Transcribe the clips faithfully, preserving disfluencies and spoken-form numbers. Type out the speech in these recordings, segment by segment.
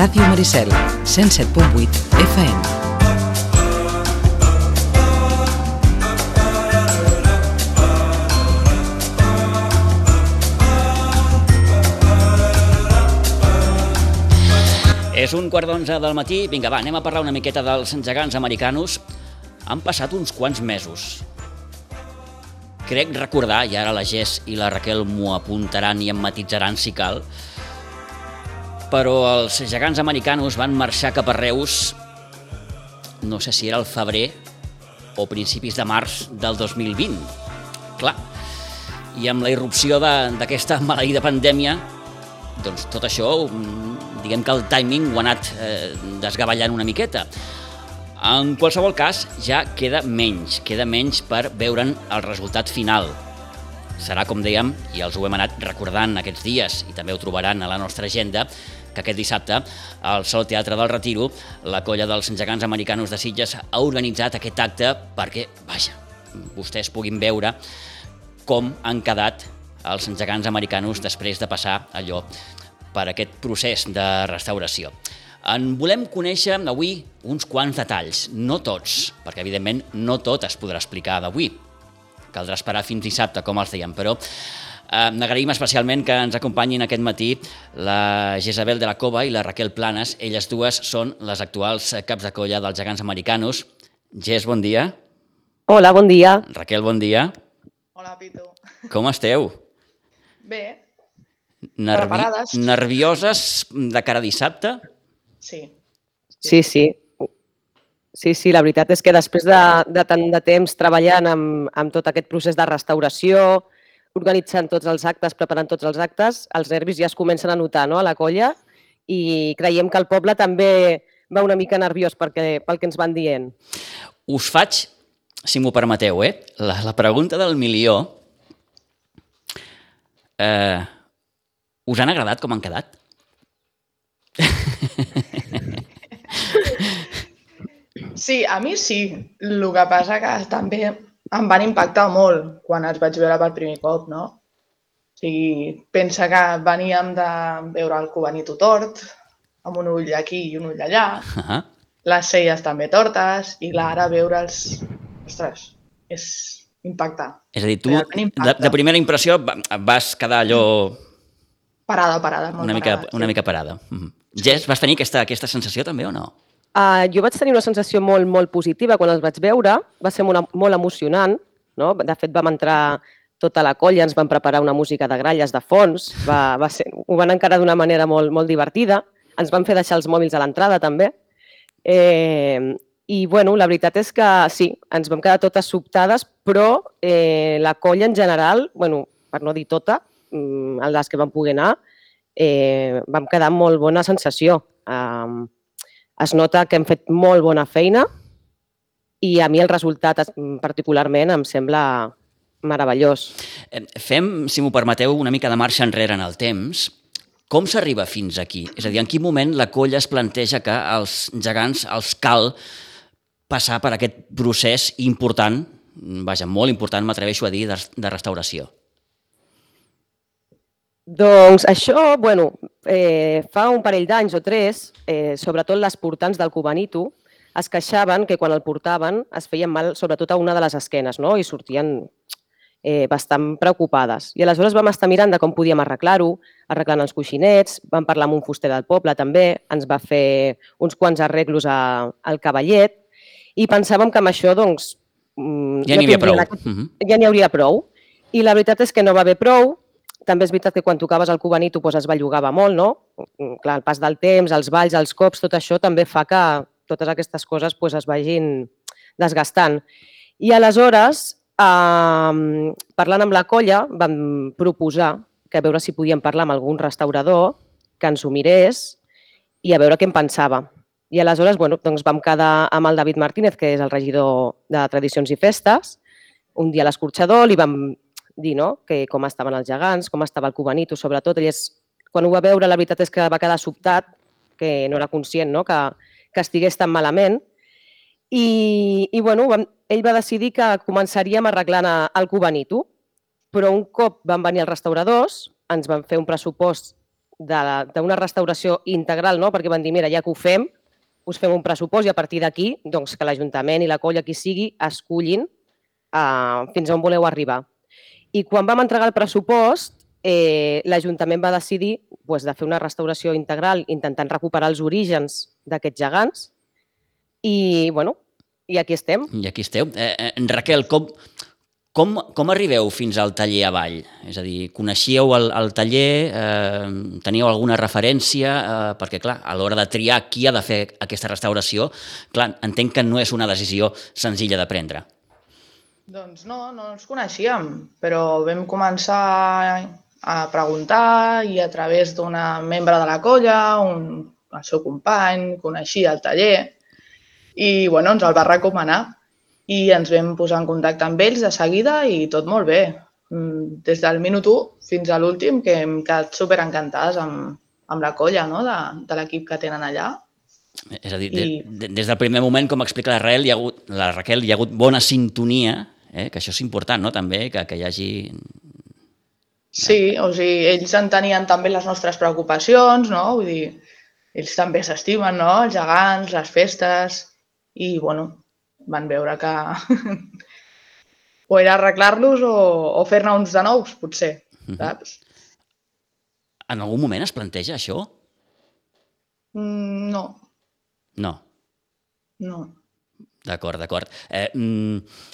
Ràdio Maricel, cent set punt vuit F M. És un quart d'onze del matí. Vinga, va, anem a parlar una miqueta dels gegants americanos. Han passat uns quants mesos. Crec recordar, i ara la Jess i la Raquel m'ho apuntaran i em matitzaran si cal, però els gegants americanos van marxar cap a Reus, no sé si era el febrer o principis de març del dos mil vint. Clar, i amb la irrupció d'aquesta maleïda pandèmia, doncs tot això, diguem que el timing ho ha anat eh, desgavellant una miqueta. En qualsevol cas, ja queda menys, queda menys per veure'n el resultat final. Serà, com dèiem, i els ho hem anat recordant aquests dies, i també ho trobaran a la nostra agenda, que aquest dissabte, al Sol Teatre del Retiro, la colla dels gegants americanos de Sitges ha organitzat aquest acte perquè, vaja, vostès puguin veure com han quedat els gegants americanos després de passar allò per aquest procés de restauració. En volem conèixer avui uns quants detalls, no tots, perquè evidentment no tot es podrà explicar d'avui. Caldrà esperar fins dissabte, com els dèiem, però eh, n'agraïm especialment que ens acompanyin aquest matí la Jezabel de la Cova i la Raquel Planes. Elles dues són les actuals caps de colla dels gegants americanos. Jess, bon dia. Hola, bon dia. Raquel, bon dia. Hola, Pitu. Com esteu? Bé. Nervi... Preparades. Nervioses de cara a dissabte? Sí. Sí, sí. Sí, sí, la veritat és que després de, de tant de temps treballant amb, amb tot aquest procés de restauració, organitzant tots els actes, preparant tots els actes, els nervis ja es comencen a notar, no?, a la colla, i creiem que el poble també va una mica nerviós perquè, pel que ens van dient. Us faig, si m'ho permeteu, eh? la, la pregunta del milió. Eh, us han agradat com han quedat? Sí, a mi sí. El que passa que també em van impactar molt quan els vaig veure per primer cop, no? O sigui, pensa que veníem de veure el Cubanito tort, amb un ull aquí i un ull allà, Uh-huh. les celles també tortes, i ara veure'ls... Ostres, és impactant. És a dir, tu, Realment de, impacta. de primera impressió, va- vas quedar allò Parada, parada, molt una mica, parada. una mica parada. Uh-huh. Jess, vas tenir aquesta, aquesta sensació també o no? Uh, jo vaig tenir una sensació molt, molt positiva quan els vaig veure. Va ser molt, molt emocionant, no? De fet, vam entrar tota la colla, ens van preparar una música de gralles de fons, va, va ser, ho van encarar d'una manera molt, molt divertida. Ens van fer deixar els mòbils a l'entrada, també. Eh, I, bueno, la veritat és que sí, ens vam quedar totes sobtades, però eh, la colla en general, bueno, per no dir tota, mm, a les que vam poder anar, eh, vam quedar amb molt bona sensació. Eh, es nota que hem fet molt bona feina i a mi el resultat es- particularment em sembla meravellós. Eh, Fem, si m'ho permeteu, una mica de marxa enrere en el temps. Com s'arriba fins aquí? És a dir, en quin moment la colla es planteja que als gegants els cal passar per aquest procés important, vaja, molt important, m'atreveixo a dir, de, de restauració? Doncs això, bueno, eh, fa un parell d'anys o tres, eh, sobretot les portants del Cubanito, es queixaven que quan el portaven es feien mal sobretot a una de les esquenes, no? I sortien eh, bastant preocupades. I aleshores vam estar mirant de com podíem arreglar-ho, arreglant els coixinets, vam parlar amb un fuster del poble també, ens va fer uns quants arreglos a, al cavallet i pensàvem que amb això, doncs... mm, Ja n'hi havia prou. tindrien aquest- Uh-huh. Ja n'hi hauria prou. I la veritat és que no va haver prou. També és veritat que quan tocaves el Cubanito doncs es bellugava molt, no? Clar, el pas del temps, els balls, els cops, tot això també fa que totes aquestes coses doncs, es vagin desgastant. I aleshores, eh, parlant amb la colla, vam proposar que a veure si podíem parlar amb algun restaurador que ens ho mirés i a veure què en pensava. I aleshores bueno, doncs vam quedar amb el David Martínez, que és el regidor de Tradicions i Festes, un dia a l'escorxador, li vam dir no? que com estaven els gegants, com estava el Cubanito, sobretot. Ell és, quan ho va veure, la veritat és que va quedar sobtat, que no era conscient no? que, que estigués tan malament. I, i bueno, vam, ell va decidir que començaríem arreglant el Cubanito, però un cop van venir els restauradors, ens van fer un pressupost d'una restauració integral, no? Perquè van dir, mira, ja que ho fem, us fem un pressupost i a partir d'aquí doncs, que l'Ajuntament i la colla, qui sigui, escullin uh, fins on voleu arribar. I quan vam entregar el pressupost, eh, l'Ajuntament va decidir pues, de fer una restauració integral intentant recuperar els orígens d'aquests gegants i, bueno, i aquí estem. I aquí esteu. Eh, eh, Raquel, com, com, com arribeu fins al taller avall? És a dir, coneixíeu el, el taller, eh, teníeu alguna referència? Eh, perquè, clar, a l'hora de triar qui ha de fer aquesta restauració, clar, entenc que no és una decisió senzilla de prendre. Doncs no, no ens coneixíem, però vam començar a preguntar i a través d'una membre de la colla, un, el seu company, coneixia el taller i bueno, ens el va recomanar i ens vam posar en contacte amb ells de seguida i tot molt bé. Des del minut u fins a l'últim que hem quedat superencantades amb, amb la colla, no? de, de l'equip que tenen allà. És a dir, I... de, des del primer moment, com explica la Raquel, hi ha hagut, la Raquel, hi ha hagut bona sintonia, eh? Que això és important, no? També, que, que hi hagi... Sí, o sigui, ells entenien també les nostres preocupacions, no? Vull dir, ells també s'estimen, no? Els gegants, les festes, i, bueno, van veure que o era arreglar-los o, o fer-ne uns de nous, potser, saps? En algun moment es planteja això? Mm, no. No? No. D'acord, d'acord. Eh, mm,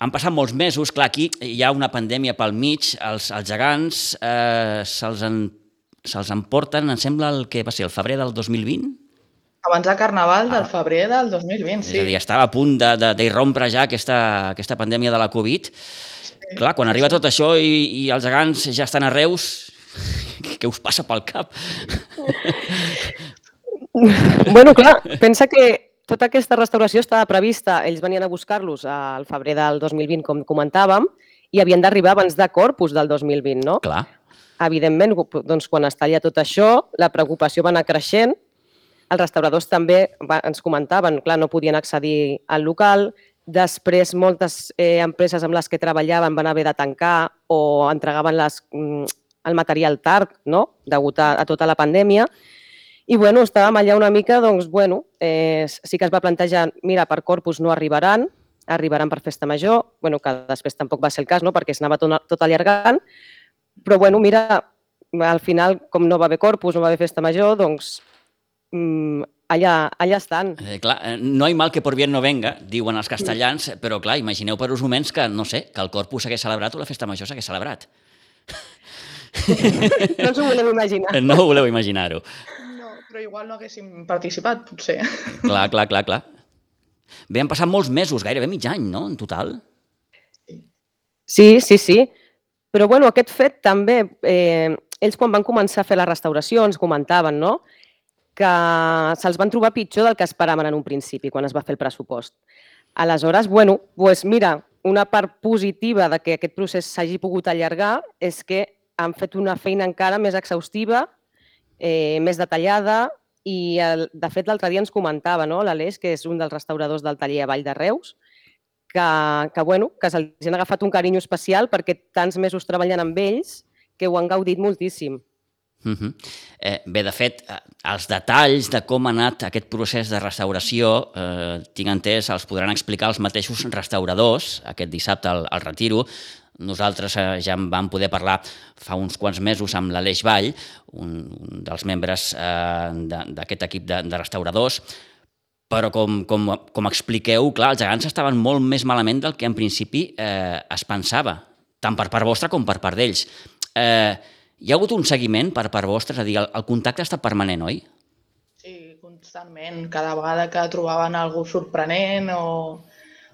han passat molts mesos, clar, aquí hi ha una pandèmia pel mig, els, els gegants eh, se'ls en, se'ls emporten, em sembla, el que va ser el febrer del dos mil vint? Abans de Carnaval del febrer del dos mil vint, sí. És a dir, estava a punt d'irrompre ja aquesta, aquesta pandèmia de la Covid. Sí. Clar, quan arriba tot això i, i els gegants ja estan a Reus, què us passa pel cap? Bueno, clar, pensa que tota aquesta restauració estava prevista, ells venien a buscar-los al febrer del dos mil vint, com comentàvem, i havien d'arribar abans de Corpus del dos mil vint, no? Clar. Evidentment, doncs, quan es talla tot això, la preocupació va anar creixent, els restauradors també ens comentaven, clar, no podien accedir al local, després moltes eh, empreses amb les que treballaven van haver de tancar o entregaven les, el material tard, no?, degut a, a tota la pandèmia. I, bueno, estàvem allà una mica, doncs, bueno, eh, sí que es va plantejar, mira, per Corpus no arribaran, arribaran per Festa Major, bueno, que després tampoc va ser el cas, no?, perquè s'anava tot, tot allargant, però, bueno, mira, al final, com no va haver Corpus, no va haver Festa Major, doncs, mmm, allà, allà estan. Eh, clar, no hi mal que por bien no venga, diuen els castellans, però, clar, imagineu per uns moments que, no sé, que el Corpus s'hagués celebrat o la Festa Major s'hagués celebrat. No ens ho volem imaginar. No ho voleu imaginar-ho. Però igual no haguéssim participat, potser. Clar, clar, clar, clar. Bé, han passat molts mesos, gairebé mig any, no?, en total. Sí, sí, sí. Però, bueno, aquest fet també, eh, ells quan van començar a fer la restauració ens comentaven, no?, que se'ls van trobar pitjor del que esperaven en un principi, quan es va fer el pressupost. Aleshores, bueno, doncs mira, una part positiva de que aquest procés s'hagi pogut allargar és que han fet una feina encara més exhaustiva, Eh, més detallada i, el, de fet, l'altre dia ens comentava, no?, l'Aleix, que és un dels restauradors del taller a Vall de Reus, que, que, bueno, que se'ls han agafat un carinyo especial perquè tants mesos treballant amb ells que ho han gaudit moltíssim. Uh-huh. eh, bé, de fet, els detalls de com ha anat aquest procés de restauració, eh, tinc entès, els podran explicar els mateixos restauradors aquest dissabte al, al Retiro. Nosaltres eh, ja en vam poder parlar fa uns quants mesos amb l'Aleix Vall, un, un dels membres eh, d'aquest equip de, de restauradors, però com, com, com expliqueu, clar, els gegants estaven molt més malament del que en principi eh, es pensava, tant per part vostra com per part d'ells. Eh, hi ha hagut un seguiment per part vostra? És a dir, el, el contacte ha estat permanent, oi? Sí, constantment. Cada vegada que trobaven alguna cosa sorprenent o...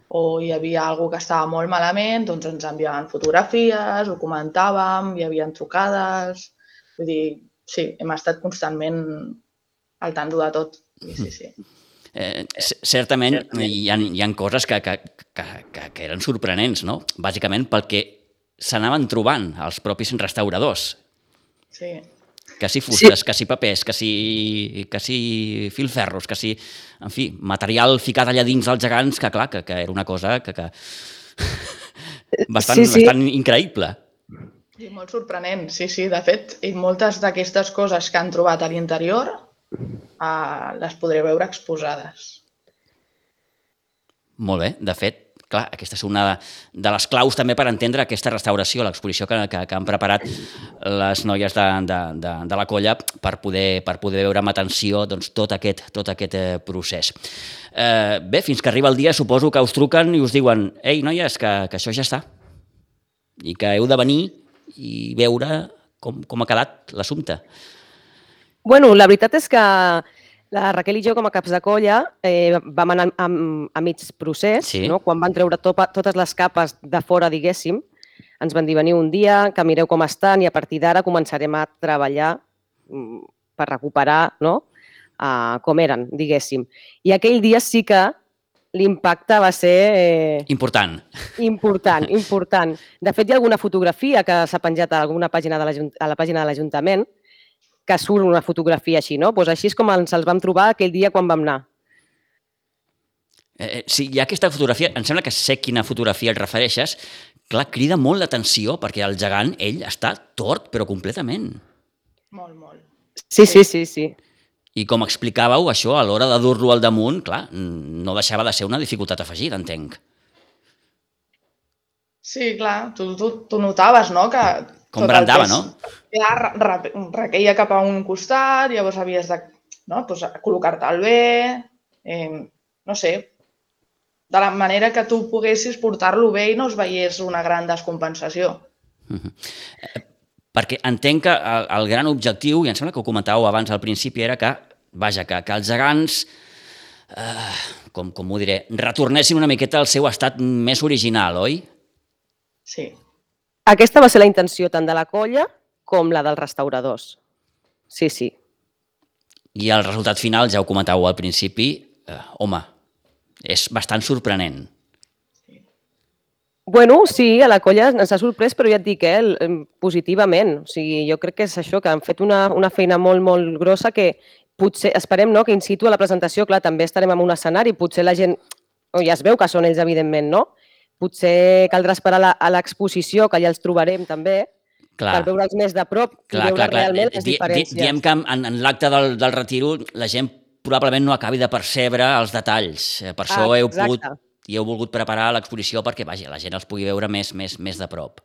o hi havia alguna que estava molt malament, doncs ens enviaven fotografies, ho comentàvem, hi havia trucades... Vull dir, sí, hem estat constantment al tanto de tot. Sí, sí, sí. Eh, certament, certament. Hi, ha, hi ha coses que, que, que, que eren sorprenents, no? Bàsicament perquè s'anaven trobant els propis restauradors. Sí. Que si fustes, sí. que si papers, que si, que si filferros, que si... En fi, material ficat allà dins dels gegants, que clar, que, que era una cosa que, que... bastant, sí, sí. bastant increïble. Sí, molt sorprenent, sí, sí. De fet, i moltes d'aquestes coses que han trobat a l'interior eh, les podré veure exposades. Molt bé, de fet, clar, aquesta és una de les claus també per entendre aquesta restauració, l'exposició que, que, que han preparat les noies de, de, de, de la colla per poder, per poder veure amb atenció doncs, tot aquest, tot aquest eh, procés. Eh, bé, fins que arriba el dia suposo que us truquen i us diuen «Ei, noies, que, que això ja està» i que heu de venir i veure com, com ha quedat l'assumpte. Bueno, la veritat és que la Raquel i jo, com a caps de colla, eh, vam anar a, a mig procés, Sí. no? Quan van treure to totes les capes de fora, diguéssim, ens van dir veniu un dia, que mireu com estan i a partir d'ara començarem a treballar mm, per recuperar, no? uh, com eren, diguéssim. I aquell dia sí que l'impacte va ser... Eh, Important. important, important. De fet, hi ha alguna fotografia que s'ha penjat a alguna pàgina de a la pàgina de l'Ajuntament que surt una fotografia així, no? Pues així és com ens els vam trobar aquell dia quan vam anar. Eh, sí, hi ha aquesta fotografia, em sembla que sé quina fotografia et refereixes, clar, crida molt l'atenció perquè el gegant, ell, està tort, però completament. Molt, molt. Sí, sí, sí, sí. I com explicàveu, això, a l'hora de dur-lo al damunt, clar, no deixava de ser una dificultat afegida, entenc. Sí, clar, tu, tu, tu notaves, no?, que... Com brandava, no? Ja requeia cap a un costat, llavors havies de no? pues, col·locar-te'l bé, eh, no sé, de la manera que tu poguessis portar-lo bé i no es veiés una gran descompensació. Uh-huh. eh, perquè entenc que el, el gran objectiu, i em sembla que ho comentàveu abans al principi, era que, vaja, que, que els gegants, eh, com, com ho diré, retornessin una miqueta al seu estat més original, oi? Sí. Aquesta va ser la intenció tant de la colla com la dels restauradors. Sí, sí. I el resultat final, ja ho comentàveu al principi, eh, home, és bastant sorprenent. Bueno, sí, a la colla ens ha sorprès, però ja et dic, eh, positivament. O sigui, jo crec que és això, que han fet una, una feina molt, molt grossa que potser, esperem, no?, que in situ a la presentació, clar, també estarem en un escenari, potser la gent, oh, ja es veu que són ells, evidentment, no?, potser caldrà esperar a l'exposició, que ja els trobarem també, clar, per veure'ls més de prop clar, i veure clar, clar. realment les Di, diferències. Di, diem que en, en l'acte del, del retiro la gent probablement no acabi de percebre els detalls. Per això ah, heu pogut, i heu volgut preparar l'exposició perquè vaja, la gent els pugui veure més, més, més de prop.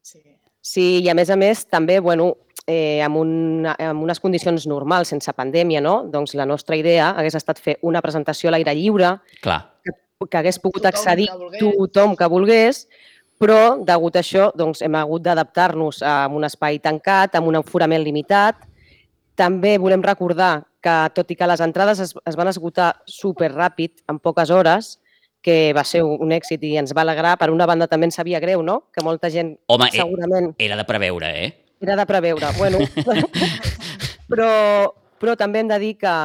Sí. Sí, i a més a més també, bueno, eh, amb, una, amb unes condicions normals, sense pandèmia, no? Doncs la nostra idea hagués estat fer una presentació a l'aire lliure, clar, que que hagués pogut tothom accedir que tothom que volgués, però, degut a això, doncs, hem hagut d'adaptar-nos a un espai tancat, amb un aforament limitat. També volem recordar que, tot i que les entrades es, es van esgotar superràpid, en poques hores, que va ser un èxit i ens va alegrar, per una banda també ens sabia greu, no?, que molta gent home, segurament... era de preveure, eh? Era de preveure, bueno. però, però també hem de dir que,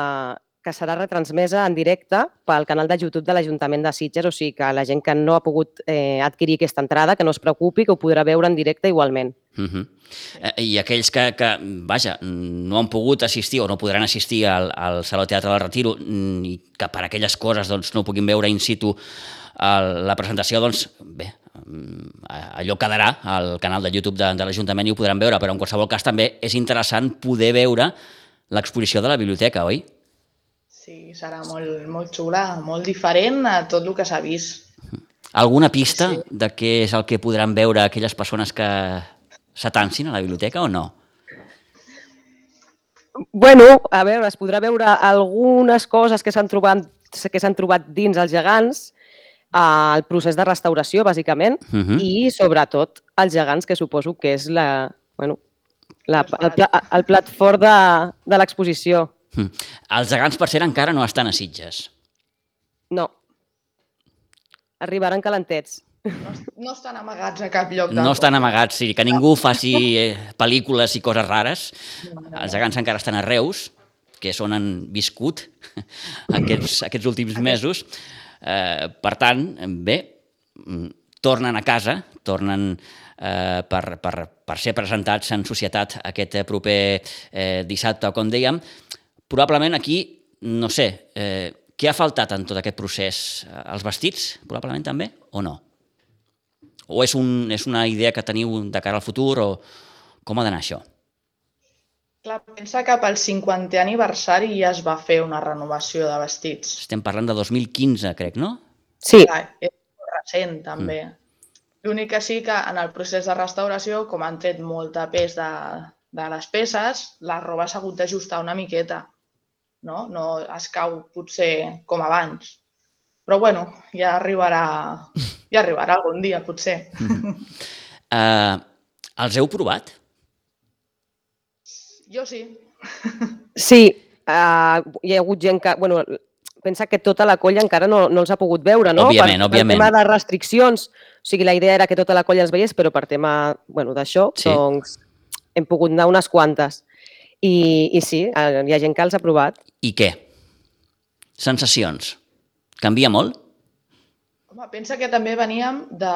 que serà retransmesa en directe pel canal de YouTube de l'Ajuntament de Sitges, o sigui que la gent que no ha pogut eh, adquirir aquesta entrada, que no es preocupi, que ho podrà veure en directe igualment. Uh -huh. eh, I aquells que, que, vaja, no han pogut assistir o no podran assistir al, al Saló Teatre del Retiro i que per aquelles coses doncs, no puguin veure in situ el, la presentació, doncs bé, allò quedarà al canal de YouTube de, de l'Ajuntament i ho podran veure, però en qualsevol cas també és interessant poder veure l'exposició de la biblioteca, oi? Sí, serà molt, molt xula, molt diferent a tot el que s'ha vist. Alguna pista Sí. de què és el que podran veure aquelles persones que s'atansin a la biblioteca o no? Bueno, a veure, es podrà veure algunes coses que s'han trobat, que s'han trobat dins els gegants, el procés de restauració, bàsicament, Uh -huh. i sobretot els gegants, que suposo que és la, bueno, la, el, pla, el plat fort de, de l'exposició. Mm. Els gegants, per cert, encara no estan a Sitges. No. Arribaran calentets. No, no estan amagats a cap lloc. No estan amagats, sí, que ningú faci eh, pel·lícules i coses rares. Els gegants encara estan a Reus, que és on han viscut aquests, aquests últims mesos. Eh, per tant, bé, tornen a casa, tornen eh, per, per, per ser presentats en societat aquest proper eh, dissabte, com dèiem. Probablement aquí, no sé, eh, què ha faltat en tot aquest procés? Els vestits, probablement també, o no? o és, un, és una idea que teniu de cara al futur, o com ha d'anar això? Clar, pensa que pel cinquantè aniversari ja es va fer una renovació de vestits. Estem parlant de dos mil quinze, crec, no? Sí. Clar, és molt recent, també. Mm. L'únic que sí que en el procés de restauració, com han tret molta pes de, de les peces, la roba s'ha hagut d'ajustar una miqueta. No? No es cau potser com abans. Però bueno, ja arribarà, ja arribarà algun dia, potser. Mm. Uh, els heu provat? Jo sí. Sí, uh, hi ha hagut gent que... Bueno, pensa que tota la colla encara no, no els ha pogut veure, no? Òbviament, per, òbviament. Per tema de restriccions. O sigui, la idea era que tota la colla els veiés, però per tema bueno, d'això, sí. doncs hem pogut anar unes quantes. I, I sí, hi ha gent que els ha provat. I què? Sensacions. Canvia molt? Home, pensa que també veníem de...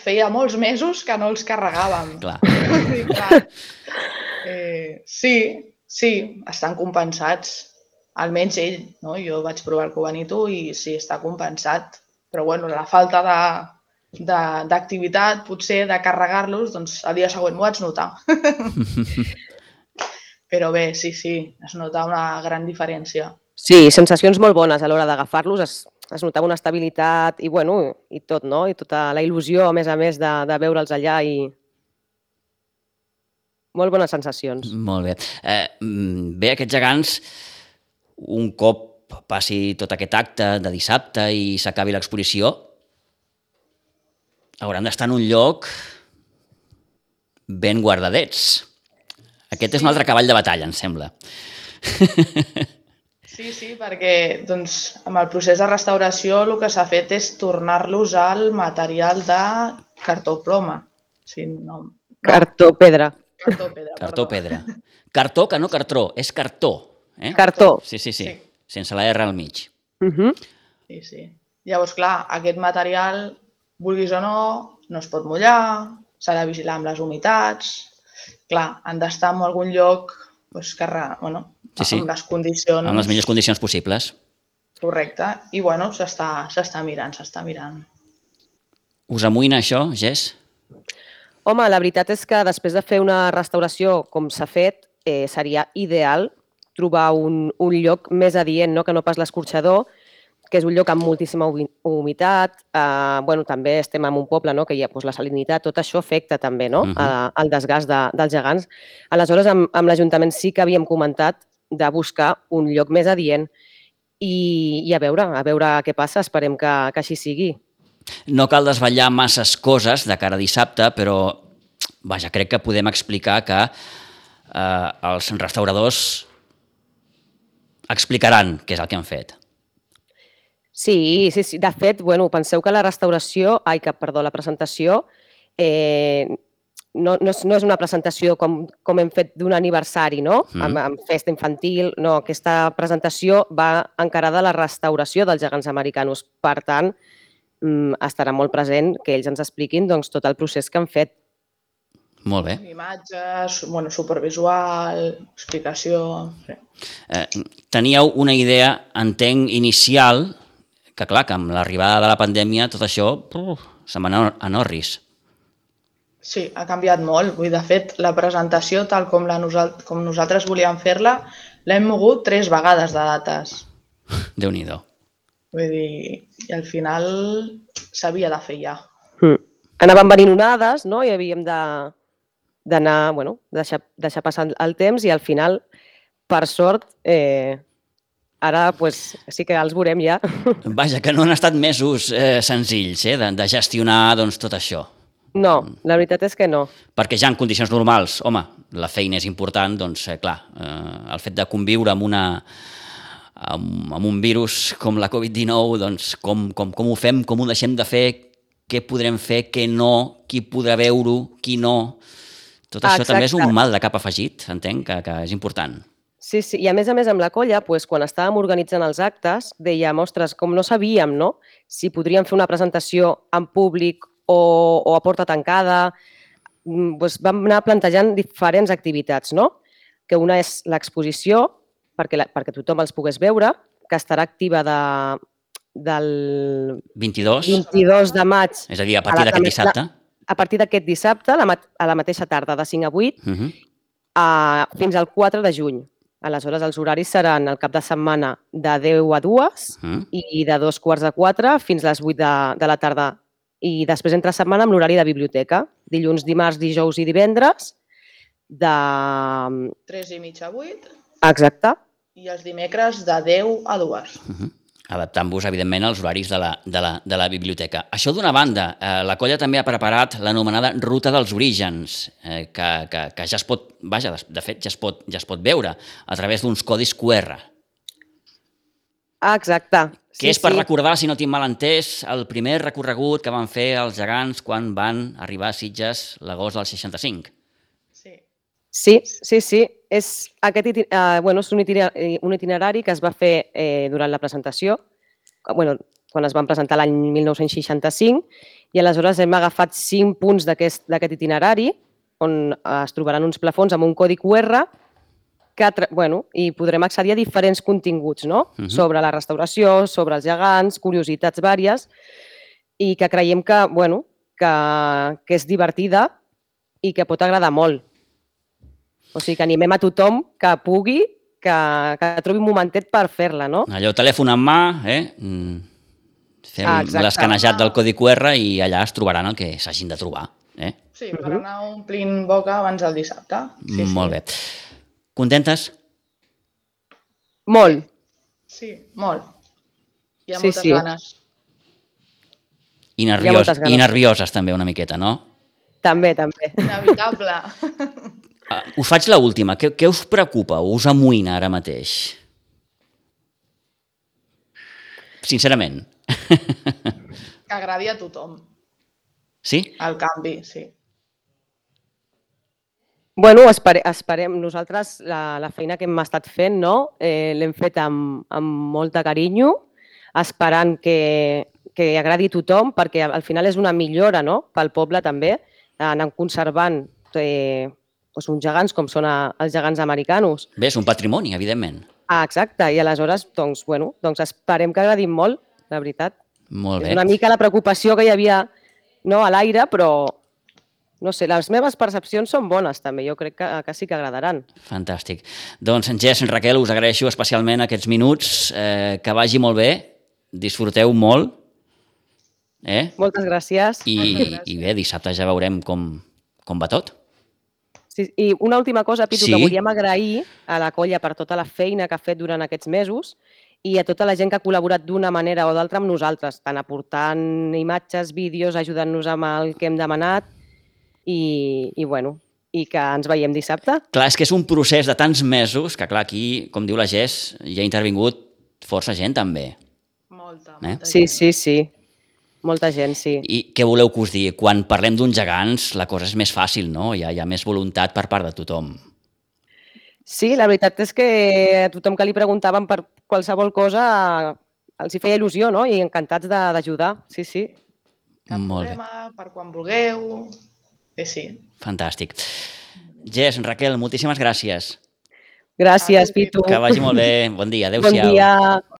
Feia molts mesos que no els carregàvem. Clar. Clar. Eh, sí, sí, estan compensats. Almenys ell, no? Jo vaig provar el Cubanito i sí, està compensat. Però bueno, la falta d'activitat, potser de carregar-los, doncs el dia següent m'ho vaig notar. Però bé, sí, sí, es nota una gran diferència. Sí, sensacions molt bones a l'hora d'agafar-los, es, es notava una estabilitat i, bueno, i tot, no? I tota la il·lusió, a més a més, de, de veure'ls allà i... Molt bones sensacions. Molt bé. Eh, bé, aquests gegants, un cop passi tot aquest acte de dissabte i s'acabi l'exposició, hauran d'estar en un lloc ben guardadets. Aquest és un altre cavall de batalla, em sembla. Sí, sí, perquè doncs, amb el procés de restauració el que s'ha fet és tornar-los al material de cartó-ploma. Sí, no, no. Cartó-pedra. Cartó-pedra. Cartó-pedra. Cartó, que no cartró, és cartó. Eh? Cartó. Sí, sí, sí, Sí. sense la R al mig. Uh -huh. Sí, sí. Llavors, clar, aquest material, vulguis o no, no es pot mullar, s'ha de vigilar amb les humitats. Clar, han d'estar en algun lloc doncs, que, bueno, sí, sí. amb les condicions... Amb les millors condicions possibles. Correcte. I, bueno, s'està mirant, s'està mirant. Us amoïna això, Jess? Home, la veritat és que després de fer una restauració com s'ha fet, eh, seria ideal trobar un, un lloc més adient, no? Que no pas l'escorxador, que és un lloc amb moltíssima humitat. Eh, bueno, també estem en un poble, no? Que hi ha doncs, la salinitat, tot això afecta també, no? Uh -huh. eh, el desgast de, dels gegants. Aleshores, amb, amb l'Ajuntament sí que havíem comentat de buscar un lloc més adient i, i a veure, a veure què passa, esperem que, que així sigui. No cal desvetllar masses coses de cara a dissabte, però vaja, crec que podem explicar que eh, els restauradors explicaran què és el que han fet. Sí, sí, sí. De fet, bueno, penseu que la restauració, ai, que, perdó, la presentació, eh, no, no, és, no és una presentació com, com hem fet d'un aniversari, no? Mm. Amb, amb festa infantil, no. Aquesta presentació va encarada a la restauració dels gegants americanos. Per tant, estarà molt present que ells ens expliquin doncs, tot el procés que han fet. Molt bé. Imatges, bueno, supervisual, explicació... Sí. Eh, teníeu una idea, entenc, inicial, que clar, que amb l'arribada de la pandèmia tot això uh, se'n va a Norris. Sí, ha canviat molt. Vull dir, de fet, la presentació, tal com, la nosal com nosaltres volíem fer-la, l'hem mogut tres vegades de dates. Déu-n'hi-do. Vull dir, i al final s'havia de fer ja. Mm. Anaven venint onades, no? I havíem de d'anar, bueno, deixar, deixar passar el temps i al final, per sort, eh, ara pues, sí que els veurem ja. Vaja, que no han estat mesos eh, senzills eh, de, de gestionar doncs, tot això. No, la veritat és que no. Perquè ja en condicions normals, home, la feina és important, doncs, eh, clar, eh, el fet de conviure amb una amb, amb un virus com la covid dinou, doncs, com, com, com ho fem, com ho deixem de fer, què podrem fer, què no, qui podrà veure-ho, qui no... Tot això Exacte. També és un mal de cap afegit, entenc, que, que és important. Sí, sí, i a més a més amb la colla, doncs, quan estàvem organitzant els actes, dèiem, ostres, com no sabíem, no?, si podríem fer una presentació en públic o, o a porta tancada, doncs vam anar plantejant diferents activitats, no?, que una és l'exposició, perquè, la, perquè tothom els pogués veure, que estarà activa de, del vint-i-dos, vint-i-dos de maig. és a dir, a partir la- d'aquest la- dissabte. A partir d'aquest dissabte, a la, mat- a la mateixa tarda, de cinc a vuit, Uh -huh. a, fins al quatre de juny. Aleshores, els horaris seran el cap de setmana de deu a dues Uh -huh. i de dos quarts de quatre fins a les vuit de, de la tarda. I després entre setmana amb l'horari de biblioteca. Dilluns, dimarts, dijous i divendres de... tres i mitja a vuit Exacte. i els dimecres de deu a dues. Uh -huh. Adaptant-vos, evidentment, als horaris de la, de la, de la biblioteca. Això d'una banda, eh, la colla també ha preparat l'anomenada Ruta dels Orígens, eh, que, que, que ja es pot, vaja, de fet, ja es pot, ja es pot veure a través d'uns codis Q R. Ah, exacte. Que és per recordar, si no tinc mal entès, el primer recorregut que van fer els gegants quan van arribar a Sitges l'agost del seixanta-cinc. Sí. Sí, sí, sí. És, aquest iti uh, bueno, és un, itinerari, un itinerari que es va fer eh, durant la presentació, bueno, quan es van presentar l'any mil nou-cents seixanta-cinc, i aleshores hem agafat cinc punts d'aquest itinerari on es trobaran uns plafons amb un codi Q R que, bueno, i podrem accedir a diferents continguts, no? Uh -huh. Sobre la restauració, sobre els gegants, curiositats vàries, i que creiem que, bueno, que, que és divertida i que pot agradar molt. O sigui, que animem a tothom que pugui, que, que trobi un momentet per fer-la, no? Allò, telèfon en mà, eh? Fem ah, l'escanejat del codi Q R i allà es trobaran el que s'hagin de trobar. Eh? Sí, per uh -huh. anar omplint boca abans del dissabte. Sí, molt sí. bé. Contentes? Molt. Sí, molt. Hi ha sí, moltes sí. ganes. I, nervios, ganes. I nervioses també una miqueta, no? També, també. Inevitable. Us faig l'última. Què, què us preocupa o us amoïna ara mateix? Sincerament. Que agradi a tothom. Sí? El canvi, sí. Bueno, espere, esperem. Nosaltres la, la feina que hem estat fent, no? Eh, l'hem fet amb, amb molta carinyo, esperant que, que agradi a tothom, perquè al final és una millora, no?, pel poble també, anant conservant eh, doncs uns gegants com són els gegants americanos. Bé, és un patrimoni, evidentment. Ah, exacte, i aleshores, doncs, bueno, doncs esperem que agradin molt, la veritat. Molt bé. És una mica la preocupació que hi havia, no, a l'aire, però, no sé, les meves percepcions són bones també, jo crec que, que sí que agradaran. Fantàstic. Doncs, Jess, Raquel, us agraeixo especialment aquests minuts, eh, que vagi molt bé, disfruteu molt. Eh? Moltes gràcies. I, Moltes gràcies. I bé, dissabte ja veurem com, com va tot. Sí, i una última cosa, Pitu, sí? que volíem agrair a la colla per tota la feina que ha fet durant aquests mesos i a tota la gent que ha col·laborat d'una manera o d'altra amb nosaltres, tant aportant imatges, vídeos, ajudant-nos amb el que hem demanat i, i, bueno, i que ens veiem dissabte. Clar, és que és un procés de tants mesos que, clar, aquí, com diu la Jess, hi ha intervingut força gent també. Molta, eh? molta Sí, gent. sí, sí. Molta gent, sí. I què voleu que us digui? Quan parlem d'uns gegants, la cosa és més fàcil, no? Hi ha, hi ha més voluntat per part de tothom. Sí, la veritat és que a tothom que li preguntaven per qualsevol cosa els hi feia il·lusió, no? I encantats d'ajudar, sí, sí. Cap Molt bé. problema, per quan vulgueu. Sí, sí. Fantàstic. Jess, Raquel, moltíssimes gràcies. Gràcies, Pitu. Que vagi molt bé. Bon dia. Adéu-siau. Bon dia.